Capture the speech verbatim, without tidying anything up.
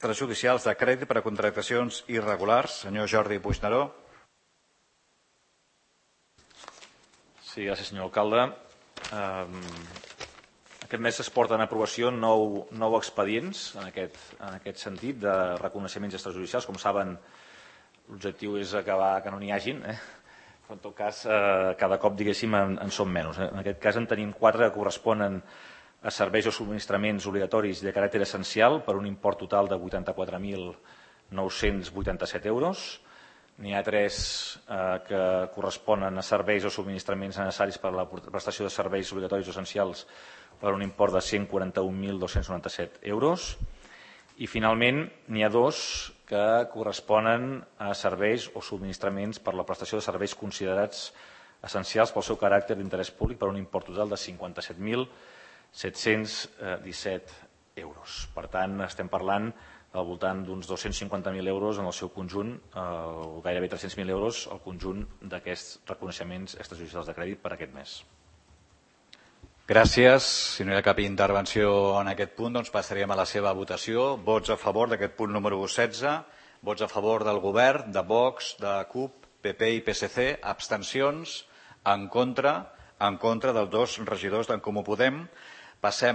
extrajudicials de crèdit per a contractacions irregulars. Senyor Jordi Puigneró. Sí, gràcies, senyor alcalde. Aquest mes es porten a aprovació nou, nou expedients en aquest, en aquest sentit de reconeixements extrajudicials. Com saben, l'objectiu és acabar que no n'hi hagin, eh? però en tot cas eh, cada cop diguéssim en, en són menys. En aquest cas en tenim quatre que corresponen a serveis o subministraments obligatoris de caràcter essencial per un import total de vuitanta-quatre mil nou-cents vuitanta-set euros. N'hi ha tres eh, que corresponen a serveis o subministraments necessaris per a la prestació de serveis obligatoris o essencials per un import de cent quaranta-un mil dos-cents noranta-set euros. I finalment n'hi ha dos que corresponen a serveis o subministraments per a la prestació de serveis considerats essencials pel seu caràcter d'interès públic per un import total de cinquanta-set mil set-cents disset euros. Per tant, estem parlant al voltant d'uns dos-cents cinquanta mil euros en el seu conjunt, o gairebé tres-cents mil euros al conjunt d'aquests reconeixements extrajudicials de crèdit per aquest mes. Gràcies. Si no hi ha cap intervenció en aquest punt, doncs passaríem a la seva votació. Vots a favor d'aquest punt número setze, vots a favor del govern, de Vox, de CUP, P P i P S C, abstencions, en contra, en contra dels dos regidors d'en Comú Podem. Passem